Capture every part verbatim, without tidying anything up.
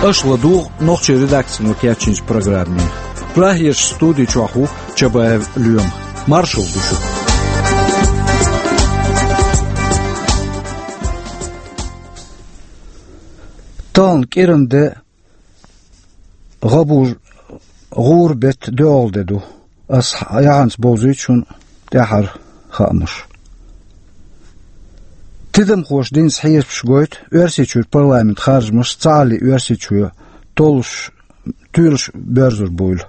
Аша ладугӀу нохчийн редакцино кечйинчу программе. Прагерчу студи чохь ву Чабаев Лоьма. Маршалла ду шуьга. Тахана кӀиран де, гӀабур, гӀура беттан доьалгӀа де ду. Ас яхьанца бовзуьйту шуна тӀаьххьара хаамаш. Тидамхоша динчу хьесапаша гойту, Оьрсийчуьра парламентан харжамаш цхьаалле Оьрсийчоь толлуш, туьйлуш боьрзур буйла.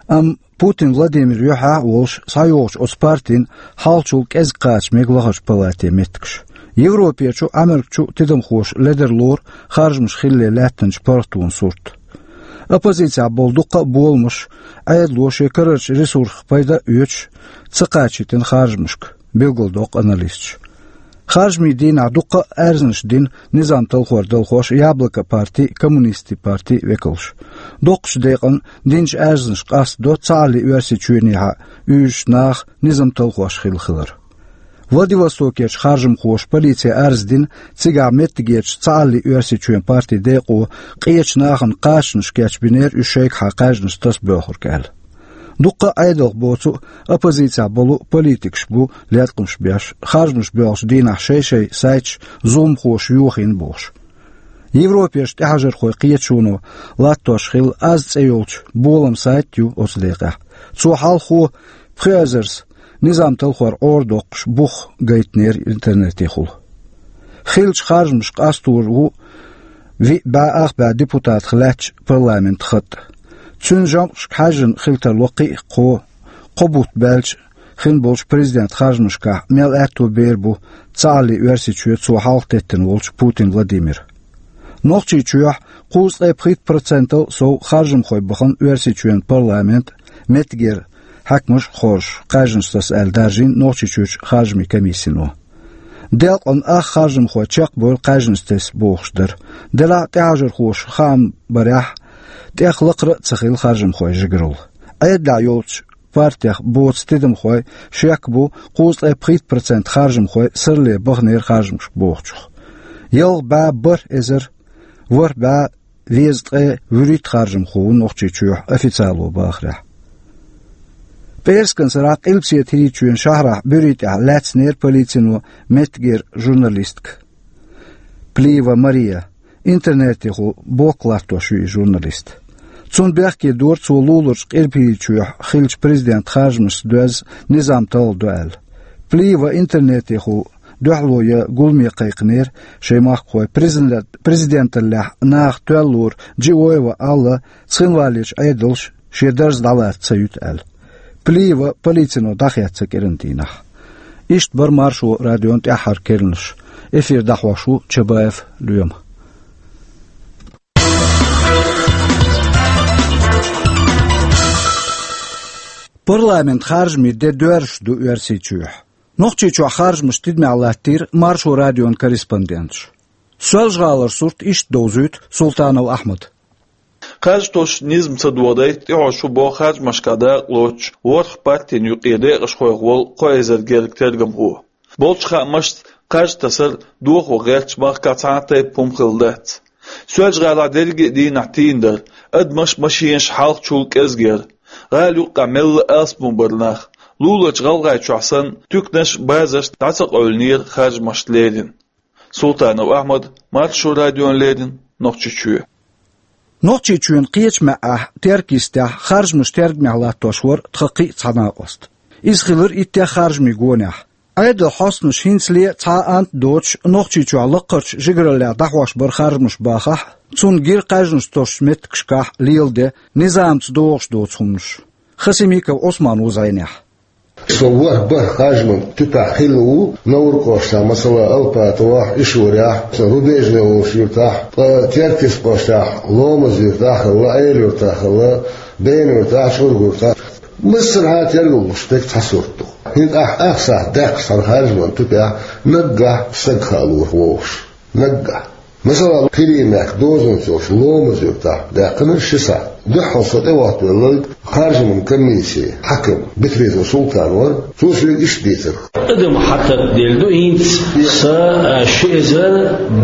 Амма Путин Владимир юьхьехь а волуш схьайогӀучу оцу партина хьалхачул кӀезиг кхача мега лахарчу палатин меттигаш. Европерчу а, Ӏамеркачу а тидамхоша ледарлора харжамаш хилале лаьттинчу паргӀатонан сурт. Оппозицехь болу дуккха а боламаш Ӏедало шен карарчу ресурсах пайда а оьцуш, ца кхачийтина харжамашка, билгалдоккху аналисташа. Харжамийн дийнахь дуккха а аьрзнаш дина низам талхор далхош Яблоко парти а, Коммунистийн парти а векалш. Доккхачу декъана динчу аьрзнашка къастадо цхьаалле Оьрсийчоьнехьа уьйзучу наха низам талхош хилла хилар. Владивостокерчу харжамхоша полице арз дина, цигахь меттигерчу цхьаалле Оьрсийчоьнан партин декъо къечу нахана кхачанаш кечбинера уьш шайгахьа кхаьжнаш таса боьлхург аьлла. Дуккха а Ӏедалх боцу а, оппозицехь болу а политикаш бу леткъамаш беш, харжамаш боьлхучу дийнахь шай-шайн сайташ зуламхоша йохийна бохуш. Европерчу тӀаьхьажархойн кхеташоно латтош хилла Аз цӀе йолчу болам сайт а ю оцу декъехь. Цо хьалхо пхи эзарза низам талхор Ӏорадоккхуш бух гайтинера интернетехула. Хиллачу харжамашка къастор ву виъ бӀе ах бӀе депутатах лаьттачу парламентан хатӀ. Цуьнан жамӀашка хьаьжжина хила тарло кхин а кхо, кхо бутт баьлча хин болчу президентан харжамашкахь мел аьтто бер бу цхьаалле Оьрсийчоь цо хьалха теттина волчу Путин Владимира. Нохчийчохь кхузткъе пхийтта процентал сов харжамхой бахана Оьрсийчоьнан парламент а, меттигера хьаькамаш а хоржуш, кхаьжнаш таса аьлла даржийна Нохчийчуьрчу харжамийн комиссино. Делкъана ах харжамхой чекхбевлла кхаьжнаш тесна бохуш дара. Делахь а тӀаьхьажархоша хаам барехь, тӀех лакхара а ца хилла харжамхойн жигаралла. Ӏедалехь йолчу партех боцу тидамхой шек бу кхузткъе пхийтта процент харжамхой сарле баханера харжамашка бохучух. Ялх бӀе бархӀ эзар ворхӀ бӀе везткъе вуьрхӀитта харжамхо ву Нохчийчохь официало бахарехь. ПӀераскан сарахь Къилбаседа ХӀирийчоьнан шахьарахь буьрий тӀехь лаьцнера полицино меттигера журналистка Плиева Мария. Интернетехула блог латтош ю и журналист. Цунна бехке дора цо луларчу Къилбаседа ХӀирийчохь хиллачу президентан харжамашца доьзна низам талхадо аьлла. Плиева интернетехула дуьхьало ян гуламе кхайкхинера шайн махкахой президент-, президенталлехь наха тоьллалора Джиоева Алла Цхинвалерчу Ӏедалша шен дарз дӀалаца ца юьту аьлла. Плиева полицино дӀахецна кӀиран дийнахь. Иштта бара Маршо радион тӀаьххьара керланаш. Эфир дӀахьош ву Чабаев Лоьма. Парламентан харжамийн де доьрзуш ду Оьрсийчохь. Нохчийчохь харжамаш тидамехь латтийра Маршо радион корреспонденташа. Соьлжа-ГӀалара сурт иштта довзуьйту Султанов Ахьмада. Кхаж тосучу низам ца догӀу дай тӀехьо шу боху харжамашкахь дакъа лоцучу ворхӀ партин юкъе декъашхойх волу кхо эзар гергга тергамхо. Болчу хаамашца, кхаж тасар дохо гӀертачу махкахь цхьа а тайпа хӀума хилла дац. Соьлжа-ГӀалахь дерриге а дийнахь тийна дара, адамаш, машенаш хьалхачул кӀезиг яра. ГӀала юккъехь мелла алсам бара нах. Луларчу ГӀалгӀайчохь санна, туьканаш а, базарш а дӀа ца къевлинера харжамашца леррина. Султанов Ахьмад, Маршо радиона леррина, Нохчийчоь. Нохчийчоьнан кхечу маьӀӀехь, Теркйистехь, харжамаш тергамехь латтош вара тхан кхин а цхьа накъост. Иза хилира иттех харжамийн гонехь. Ӏедалан хьостанаша хӀинцале а цхьа а ант а доцуш, Нохчийчохь лаккхарчу жигараллехь дӀахьош бара харжамаш бахахь а, цунна гира кхаьжнаш тосучу меттигашкахь леладе низамца догӀуш доцу хӀуманаш. Хасимиков Ӏусман ву зӀенехь. Со ворхӀ-бархӀ харжаман тӀаьхьа хилла ву, Новр кӀоштахь, масала, Алпатовехь, Ишурехь, со Рубежный волчу юьртахь, ткъа Теркйист кӀоштахь, Ломаз юьртахь а хилла, Ӏела юьртахь а хилла, Бена юьртахь а, ЧӀурга юьртахь а. Массархьа тергал луш дерг цхьа сурт ду. ХӀинца ахь ах сахьт даьккхича цхьана харжаман тӀаьхьа, наггахь стаг хаалур ву вовшах. Наггахь. Масала, Кхиримехк дозанца йолчу Ломаз юьртахь даьккхина ши сахьт. Дуьххьал со тӀехӀоттавелларг харжаман комиссин хьаькам Бетрезов Султан вара, цо соьга иштта дийцира. Адам хьатат делла ду хӀинца, Са, а, ши эзар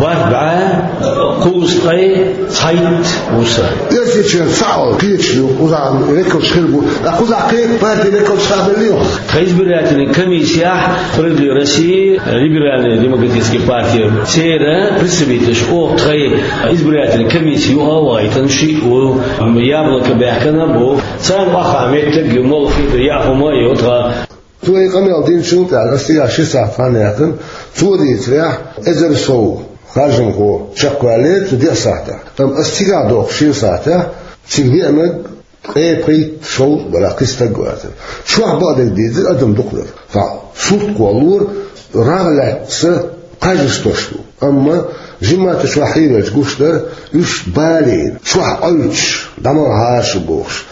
бархӀ бӀаь кхузткъе цхьайтта ву са. Оьрсийчоьнца цхьаъ вала кхеташ ду, кхузахь векалш хир бу, ткъа кхузахь кхин а партин векалш хабеллий оха? Тхан избирательный комиссияхь «Справедливая Россия», Либеральная демократическая партия, церан представителаш оха тхайн избирательный комисси юкъа а вахийтина шиъ ву, «Яблоко» баьхкина бу. Царна охьа меттиг ю, молла хетар яа хӀума а ю тхан. Цо и къамел динчул тӀаьхьа ас цигахь ши сахьт хан яьккхина, цо дийцарехь, эзар сов харжамхо чекхваьллера цу диъ сахьтехь. Амма ас цигахь дохку шина сахьтехь цига веанарг ткъе пхийтта-шовзткъа барах кхин стаг вацара. Чохь бакъдерг дийцира, адам дукха дара. Цхьа сурт кхоллора, рагӀ лаьцна кхаж тосуш ду. Амма жимма тӀе чохь хьийралча гуш дара, уьш балийна, чохь Ӏуьллуш, дӀа ма гӀар шу бохуш,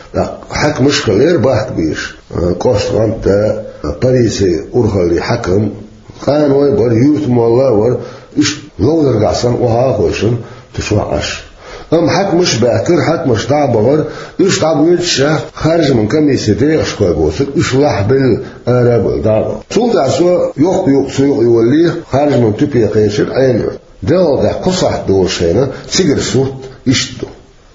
хьаькамаш а хилира бахка бийраш, кӀоштан гӀантда, полицин урхаллин хьаькам, къаной бара, юьртан молла а вара, уьш ловзаргахь санна охьа а хойшина, цу чохь Ӏаш. Амма хьаькамаш а баьхкира, хьаькамаш дӀа а бахара, уьш дӀабоьдуш а, харжаман комиссин декъашхой боцург уьш лахьбелла ара а бевлла дӀа а бахара. Цул тӀаьхьа со йоккха юкъ, цу юкъа йолале, харжаман тупе кхечира Ӏела-юьрта. Делхалдехь кхо сахьт долуш хенахь, цигара сурт иштта ду.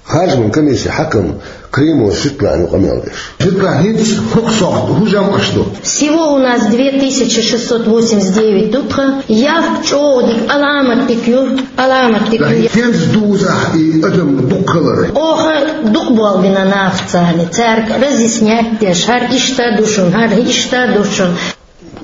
Харжаман комиссин хьаькам Кримов Светлана ю къамел деш. Светлана, хӀинца хӀокху сохьта хӀун жамӀаш ду? Всего у нас две тысячи шестьсот восемьдесят девять ду тхан. Яккха чӀогӀа дика, аламат дика ю, аламат дика ю. ХӀинца дузахь и адам дукха хилар? Оха дукха болх бина нахаца, цаьрга разъяснять деш, хӀара иштта ду шуна, хӀара иштта ду шуна.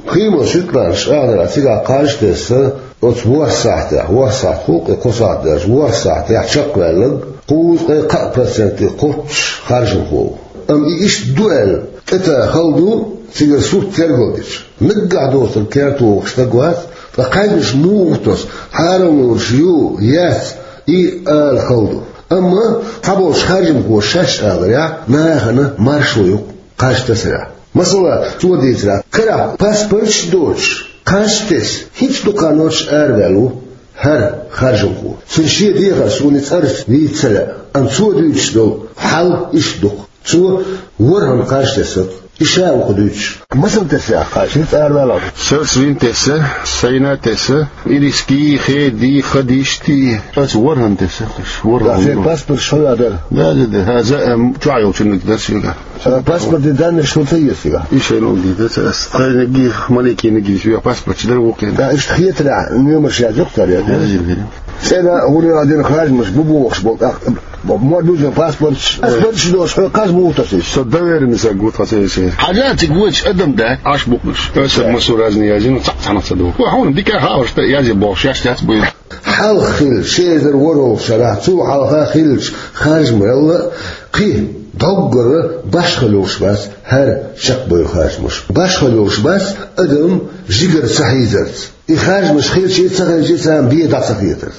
Кримов Светланас аьлларехь, цигахь кхаж тесна, оцу ворхӀ сахьтехь, ворхӀ сахьт хуьлу-кх и кхо сахьт даьлча, ворхӀ сахьтехь чекхваьлларг кхузткъе кхаа проценте кхоччуш харжамхо ву. Амма и иштта ду аьлла, тӀетта хала ду, цигара сурт тергалдича. Наггахь доцург керта вогӀуш стаг вац, ткъа кхаьжнаш муха тосу, хьарам луурш ю, яц, и ала хала ду. Амма цхьаболчу харжамхоша шаьш аьлларехь, нахана маршо ю-кх кхаж тасарехь. Масала, цо дийцарехь, карахь паспорташ а доцуш, кхаж тесна, хӀинца дукха хан доцуш араваьлла ву хӀара харжамхо. Цуьнан шен дехар суна и цӀарца вийца ца лаьа, амма цо дуьйцуш долу хьал иштта ду-кх. Цо ворхӀанна кхаж тесна-кх, и ша ву-кх дуьйцуш. Масала тесна кхаж, хӀинца араваьлла? Сан вина тесна, сан йина тесна, ириски, хеди, хадишти. Аса ворхӀанна тесна, аса ворхӀанна. Сан паспорт шо ядар? Да, да, да, хаза, эм, чохь йолчунна дара соьга. Сан паспортан данныш шуна ца еза соьга? И шайна ун дийца, аса тхайниг, маликиниг, соьга паспорт чу дара вукхин. Да, иштта хетарехь, номерш яздоккху цара, я? Яздина. ЦӀена гӀур яла дина харжамаш бу бохуш болу тӀаккха. Мо-, мо-, дуьзна паспорташ, паспорташ доцуш, хьо кхаж муха тосу иза? Со доверенный саг ву тхан церан. Хьажа цига вочу адам дац, Ӏаш букънаш. Аса массо разный язйина, цхьаъ цхьаьна ца ду. Вай хьуна дика хабарш тӀе язъе бохуш, яш яц буй. Хьалха хилла, ши эзар ворхӀалгӀачу шарахь, цул хьалха хиллачу харжамалла кхин доггара башхалла йолуш бац хӀара чекхбевлла харжамаш. Башхалла йолуш бац адам жигара ца хьийзарца. И харжамаш хилча а, ца хилча а, царна бен дӀа ца хетарца.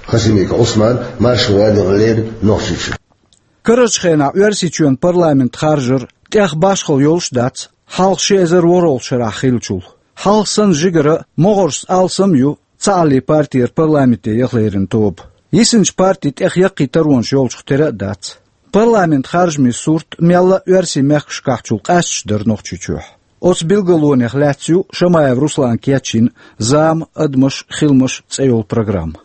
Хасимиков Ӏусман, Маршо радиона леррина, Нохчийчоь. Карарчу хенахь Оьрсийчоьнан парламент харжар тӀех башхалла йолуш а дац, хьалха ши эзар ворхӀалгӀачу шарахь хиллачул. Хьалха санна жигара могӀаршца алсам а ю Цхьааллин партера парламенте яха леррина тоба. Йисинчу партин тӀех яккхий таронаш йолчух тера а дац. Парламент харжамийн сурт мелла а оьрсийн мехкашкахьчул къаьсташ дара Нохчийчохь. Оцу билгалонех лаьцна ю Шамаев Руслана кечйина «Зама, адамаш, хиламаш» цӀе йолу программа.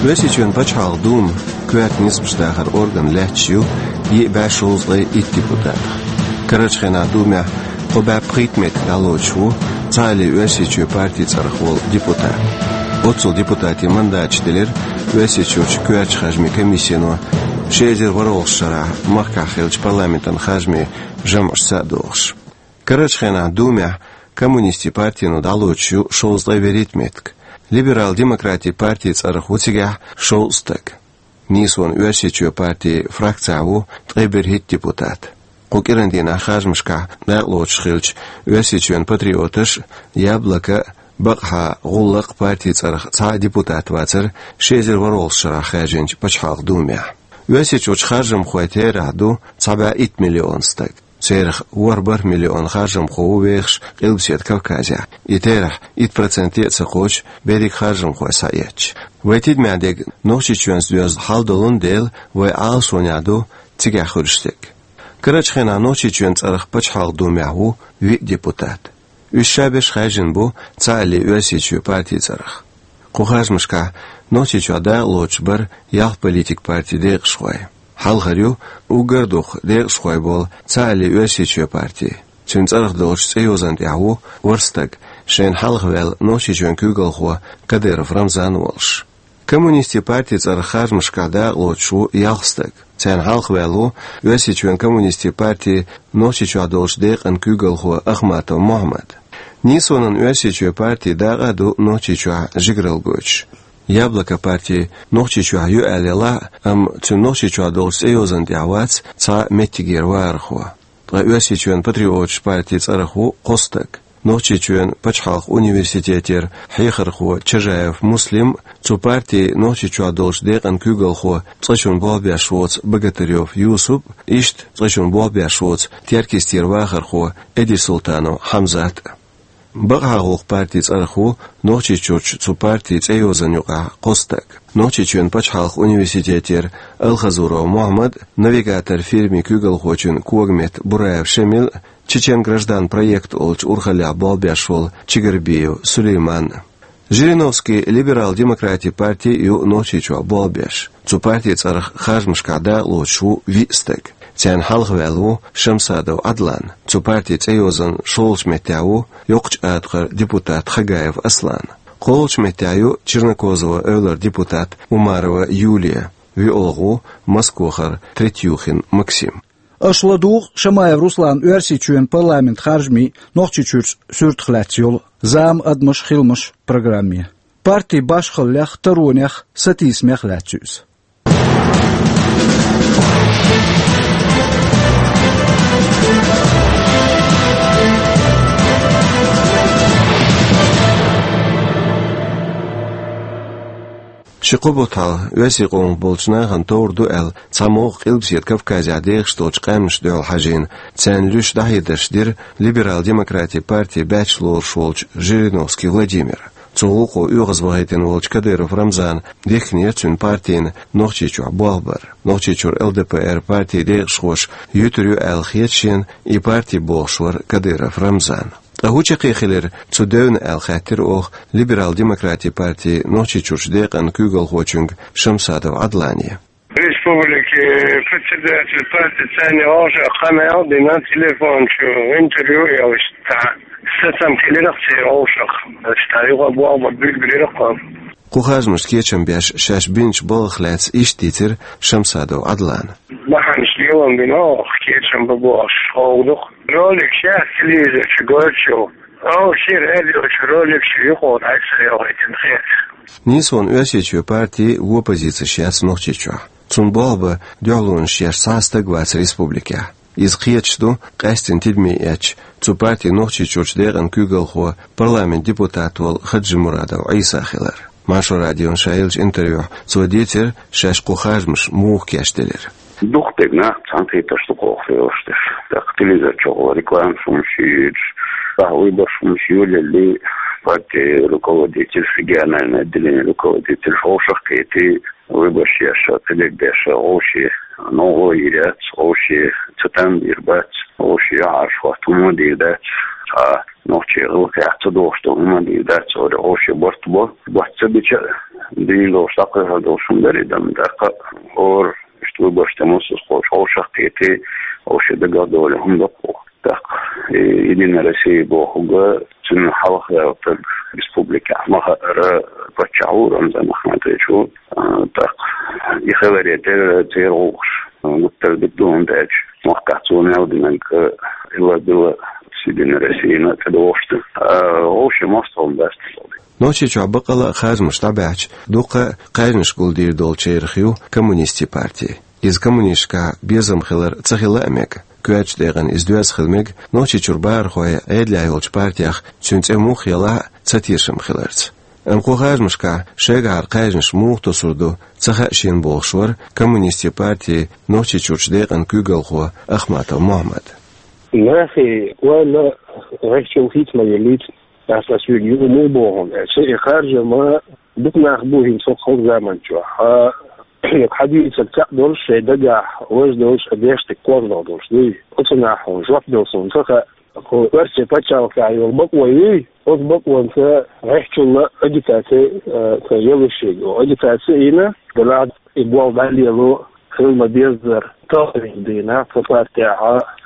Оьрсийчоьнан пачхьалкхан дума, коьрта нисбаш дахар орган, лаьтташ ю йиъ бӀе шовзткъе итт депутатах. Карарчу хенахь думехь кхо бӀе пхийтта меттиг дӀалоцуш ву Цхьааллин Оьрсийчоь партин цӀарах волу депутат. Оццул депутатийн мандаташ делира Оьрсийчуьрчу коьртачу харжамийн комиссино ши эзар ворхӀалгӀачу шарахь махкахь хиллачу парламентан харжамийн жамӀашца а дохуш. Карарчу хенахь думехь коммунистийн партино дӀалоцуш ю шовзткъе вуьрхӀитта меттиг. Либерал-демократийн партин цӀарах ву цигахь шовзткъа стаг. Нийсонан Оьрсийчоь партин фракцехь ву ткъе берхӀитта депутат. Кху кӀиран дийнахь харжамашкахь дакъалоцуш хиллачу Оьрсийчоьнан патриоташ а, «Яблоко» а, бакъахьа «ГӀуллакх» а партин цӀарах цхьа а депутат вацара ши эзар ворхӀалгӀачу шарахь хаьржинчу пачхьалкхан думехь. Оьрсийчуьрчу харжамхойн терахь ду цхьа бӀе итт миллион стаг. Царах ворхӀ бархӀ миллион харжамхо ву вехаш Къилбаседа Кавказехь, и терахь итт проценте а ца кхочу берриг харжамхой схьаэцча. Вай тидамехь дерг Нохчийчоьнца доьзна хьал долун дела, вай Ӏалашонехь ду цигахь хуьлуш дерг. Карарчу хенахь Нохчийчоьнан цӀарах Пачхьалкхан Думехь ву виъ депутат. Уьш ша берш хаьржина бу цхьаалле Оьрсийчоь партин цӀарах. Кху харжамашкахь Нохчийчохь дакъа лоцуш бара ялх политик партин декъашхой. Хьалхара ю уггар а дукха декъашхой болу цхьаалле Оьрсийчоь парти. Цуьнан цӀарах долчу цӀейозанна тӀехь ву ворхӀ стаг, шайна хьалха ваьлла Нохчийчоьнан куьйгалхо Кадыров Рамзан волуш. Коммунистийн партин цӀарах харжамашкахь дакъа лоцуш ву ялх стаг. Царна хьалха ваьлла ву Оьрсийчоьнан коммунистийн партин Нохчийчохь долчу декъан куьйгалхо Ахматов Мохьмад. Нийсонан Оьрсийчоь парти дакъа а ду Нохчийчохь жигаралла гойтуш. Яблоко парти Нохчийчохь ю аьлла елахь а, амма цуьнан Нохчийчохь долчу цӀейозанна тӀехь вац цхьа меттигера вахархо. Ткъа Оьрсийчоьнан патриоташ партин цӀарах ву кхо стаг. Нохчийчоьнан пачхьалкхан университетера хьехархо Чажаев Муслим, цу партин Нохчийчохь долчу декъан куьйгалхо, цкъачунна болх беш воцу Богатырев Юсуп, иштта цкъачунна болх беш воцу Теркйистера вахархо Эдирсултанов Хьамзат. Бакъахьа гӀуллакхан партин цӀарах ву Нохчийчурчу цу партин цӀейозанна юкъахь кхо стаг. Нохчийчоьнан пачхьалкхан университетера Алхазуров Мохьмад, «Навигатор» фирмин куьйгалхочун когаметта Бураев Шемил, «Чечен граждан» проект олучу урхаллехь болх беш волу Чигарбиев Сулейман. Жириновский либерал-демократийн парти ю Нохчийчохь болх беш. Цу партин цӀарах харжамашкахь дакъа лоцуш ву виъ стаг. Царна хьалха ваьлла ву Шамсадов Ӏадлан. Цу партин цӀейозанна шолгӀачу меттехь ву йоккхачу атакхара депутат Хагаев Аслан. КхоалгӀачу меттехь ю Чернокозова эвлара депутат Умарова Юлия. ВиолгӀа ву Москвахара Третьюхин Максим. Аша ладугӀу Шамаев Русланан Оьрсийчоьнан парламентан харжамийн Нохчийчуьрчу суьртах лаьцна йолу «Зама, адамаш, хиламаш» программе. Партин башхаллех, таронех, сатийсамех лаьцна ю иза. Ши-кхо бутт хьалха оьрсийн къомах болчу нахана товр ду аьлла, цхьа могӀа Къилбаседа Кавказехь дехаш долчу къаьмнашна дуьхьал хьажийна, царна луьйш дӀахьедарш дира либерал-демократийн партин баьчча лоруш волчу Жириновский Владимира. Цу гӀуллакхо оьгӀазвахийтина волчу Кадыров Рамзана дихкинера цуьнан партина Нохчийчохь болх бар. Нохчийчуьра ЛДПР партин декъашхоша юьтур ю аьлла хета шена и парти бохуш вара Кадыров Рамзан. Ткъа хӀун чаккхе хилира цу девна аьлла хаьттира оха либерал-демократийн партин Нохчийчуьрчу декъан куьйгалхочуьнга Шамсадов Ӏадлане. Республикин председатель партин цӀарна вовшах къамел дина, телефон чу интервью яллаш цхьа сацам хилира церан вовшах. Ша юха боху билгалира кхо. Кху харжамашна кечам беш шаьш бинчу балхах лаьцна иштта дийцира Шамсадов Ӏадлана. Бахьанаш лелам бина оха кечам бан бохуш ховгдух. Ролик шаьш телевизор чу гойтуш. Оха шен радио чу ролик чу юкъа дӀасайохуьйтина хета. Нийсонан Оьрсийчоь парти вон позицеш яц Нохчийчохь. Цунна болх бан дуьхьалонаш еш цхьа а стаг вац республикехь. Иза кхеташ ду къаьсттина тидаме эцча цу партин Нохчийчуьрчу декъан куьйгалхо, парламентан депутат волу Хаджимурадов Ӏийса хилар. Маршо радиона ша еллачу интервьюхь цо дийцира шаьш кху харжамаш муха кечделира. Дукха дерг нах цхьаьнакхетарш ду кху хьелаш деш. ТӀаккха телевизор чохь вала рекламаш хӀумаш йоьдуш, тӀаккха выбораш хӀумаш йолалли, партин руководитель, региональный отделение руководитель вовшах кхетий, выбораш еш, цхьа дерг деш, вовшийн новкъа йийр яц, вовшийн цатам бийр бац, вовшийн юьхьӀаьржа хӀотто хӀума дийр дац, цхьа нохчийн гӀиллакхехь ца догӀуш долу хӀума дийр дац, вовшийн барт бо, барт ца бича а, дийна долуш, дӀакхайкхар долуш хӀума дара и дан, тӀаккха хӀора иштта выбораш тӀе муссаза кхочу вовшах кхетий, вовшийн дагах долу хӀума ду кху. ТӀаккха и Единая Россия бохург, цуьнан хьалха ваьлла стаг республикехь ма хаъара паччахь ву, Рамзан Ахматович ву. А, тӀаккха и хиларе тӀера церан гӀуллакхаш гуттар а дика ду, хӀунда аьлча махкахь цо мел динарг хилла-билла Единая Россияна тӀедогӀуш ду. А, вовшийн мостагӀалла дац тхо. Нохчийчохь баккъалла а харжамаш дӀабаьхьча, дуккха а кхаьжнаш гулдийр долчарах ю коммунистийн парти. Иза коммунисташкахь безам хилар ца хила а мега. Коьртачу декъана иза доьзна хила мега Нохчийчуьра бахархой Ӏедалехь йолчу партех, цуьнан цӀе муха елахь а, ца тешам хиларца. Амма кху харжамашкахь шайгахьара кхаьжнаш муха тосур ду ца хаьа шена бохуш вара коммунистийн партин Нохчийчуьрчу декъан куьйгалхо Ахматов Мохьмад. Нахе ойла гӀехьчул хийца ма еллийта, ас ас вига ю ма боху, аьлча, и харжама дукха нах бу хӀинца хӀокху заман чохь. Хьан, хьан дийцар цхьаъ долуш, шайн дагахь важа долуш, а деш дерг кхозлагӀа долуш дуй. Оцу нахе хьуна жоп дала суна ца хаьа, хӀокху оьрсийн пачхьалкхехь йолу бакъо юй, оцу бакъонца гӀехьчул агитаци, а, ца елла шега. Агитаци йина, делахь и болх дӀалело хила ма-беззара, тахана дийнахь цу партехь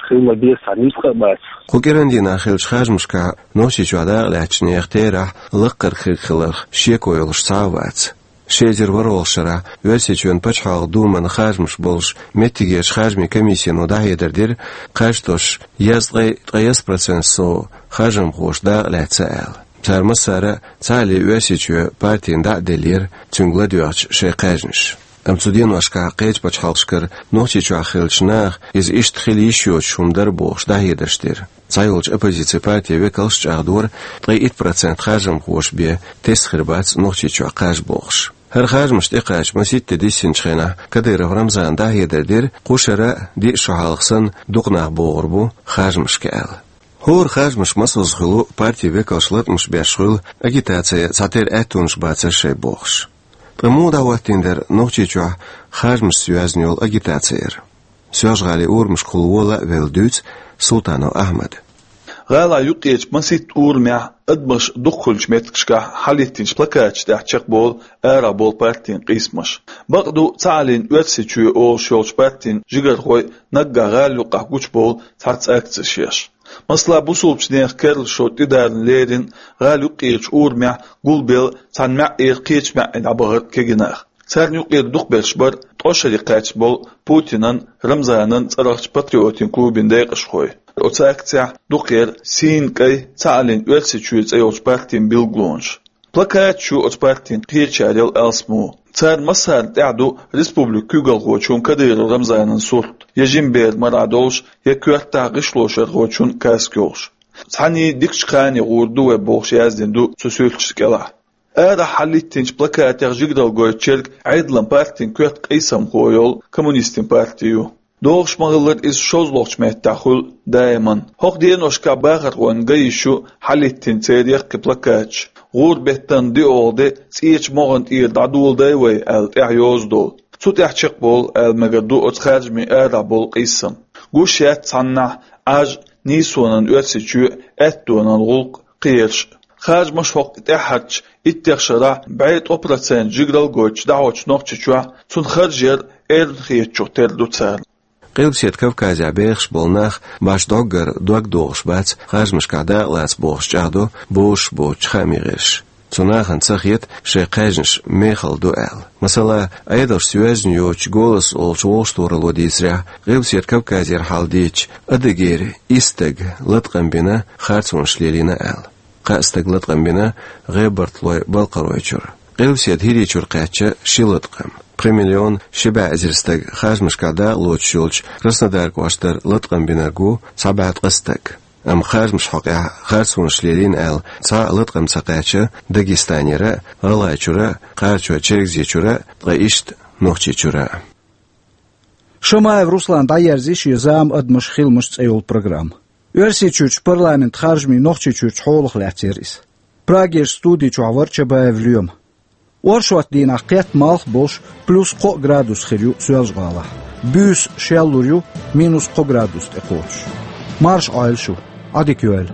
хила ма-беззара нисдала а бац. Кху кӀиран дийнахь хиллачу харжамашкахь Нохчийчохь дакъалаьцначу нехан терахь лаккхара хир хиларх шеко йолуш цхьа а вац. Ши эзар ворхӀалгӀачу шарахь Оьрсийчоьнан пачхьалкхан думан харжамаш болуш меттигерчу харжамийн комиссино дӀахьедар дира, кхаж тосуш езткъе ткъайесна процент сов харжамхоша дакъалаьцна аьлла. Цара массара а цхьаалле Оьрсийчоь партина дӀа а деллера, цуьнга ладоьгӀча шайн кхаьжнаш. Амма цу деношкахь кхечу пачхьалкхашкара Нохчийчохь хиллачу наха иза иштта хила йиш йоцуш хӀума дара бохуш дӀахьедарш дира. Цхьайолчу оппозицин партийн векалша чӀагӀдора, ткъе итт процент харжамхоша бен тесна хир бац Нохчийчохь кхаж бохуш. ХӀара харжамаш тӀекхача масийтта де диссинчу хенахь Кадыров Рамзана дӀахьедар дира, кху шарахь диъ шо хьалха санна дукха нах богӀур бу харжамашка аьлла. ХӀора харжамашка масазза хуьлу партийн векалша латкъамаш беш хуьлу, агитацин цхьатерра аьттонаш бацара шайн бохуш. Ткъа муха дӀахӀоттийна дара Нохчийчохь харжамашца йоьзна йолу агитаци яра? Соьлжа-ГӀалин урамашкахула вола а велла дуьйцу Султанов Ахьмада. ГӀалахь юккъерчу масийтта урамехь адамаш дукха хуьлучу меттигашкахь хьалхӀиттинчу плакаташ тӀехь чекхболу арахь болу партийн къийсамаш. Бакъду, цхьааллин Оьрсийчоь олуш йолчу партийн жигархой наггахь гӀала юккъехь гучубовлу цхьацца акцеш еш. Масала, бусулбачу нехан керла шо тӀедарна лерина гӀала юккъерчу урамехь гулбелла цхьана маьӀӀера кхечу маьӀӀе дӀабахара кегий нах. Царна юкъера дукхахберш бара ткъе шаре кхаьчна болу Путинан, Рамзанан цӀарахчу патриотийн клубан декъашхой. Оцу акцехь дукха яра сийна кӀайн, цхьааллин Оьрсийчоь цӀе йолчу партийн билгалонаш. Плакаташ ю оцу партийн кхечарел алсамо. Царна массарна тӀехь ду республикан куьйгалхочун Кадыров Рамзанан сурт, я жима бер марахь долуш, я коьртахь гӀишлошархочун каска йолуш. Цхьаьний дикачу кхане гӀур ду вай бохуш яздина ду цу суьрташна кӀелахь. Арахь хьалхӀиттинчу плакатех жигаралла гойтучерг Ӏедалан партин коьрта къийсамхо йолу коммунистийн парти ю. ДогӀуш ма-хиллара, иза шозлагӀчу меттехь хуьлу даиман. ХӀокху деношкахь бахархойн ган йиш ю хьалхӀиттийна церан яккхий плакаташ, гӀуран беттан диъолгӀа де цӀечу могӀан тӀера дӀадоладай вай аьлла тӀехь йоза долу. Цу тӀехь чекхболу аьлла мегар ду оцу харжамийн арахь болу къийсам. Гуш яц цхьаннахь Ӏаж, нийсонан Оьрсийчоь, аьттонан гӀуллакх, кхераш. Харжамаш хӀокху тӀаьххьарчу иттех шарахь бӀе ткъо процент жигаралла гойтуш дӀахьочу Нохчийчохь цунна харж яр эрна хетачух тера ду царна. Къилбаседа Кавказехь бехаш болу нах башха дӀоггара дог дохуш бац харжамашкахь дакъалаца бохуш чӀагӀдо бозуш боцучу хаамийн гӀирсаша. Цу нахана ца хета шайн кхаьжнаш мехала ду аьлла. Масала, Ӏедалшца йоьзна йоцучу «Голос» олучу вовшахтохаралло дийцарехь, Къилбаседа Кавказера хьал дийцича, Адыгейрчу исс стага латкъам бина, харцонаш лелийна аьлла. Кхаа стага латкъам бина ГӀебарталой Балкхаройчуьра. Къилбаседа ХӀирийчуьра кхаьчна ши латкъам. Пхи миллион ши бӀе эзар стага харжамашкахь дакъа лоцуш йолчу Краснодар кӀоштара латкъам бинарг ву цхьа бӀе ткъа стаг. Амма харжамашна хьокъехь харцонаш лелийна аьлла, цхьа а латкъам ца кхаьчна Дагестанера а, ГӀалгӀайчуьра а, Кхарачой-Чергазийчуьра а, ткъа иштта Нохчийчуьра а. Шамаев Руслана дӀаерзийра шен «Зама, адамаш, хиламаш» цӀе йолу программа. Оьрсийчуьрчу парламентан харжамийн Нохчийчуьрчу хьолах лаьцна яра иза. Прагерчу студи чохь вара Чабаев Лоьма. Оршотан дийнахь кхетта малх а болуш, плюс кхо градус хир ю Соьлжа-ГӀалахь. Буьйса шеллур ю, минус кхо градус тӀекхочуш. Марша Ӏойла шу, Ӏадика йойла.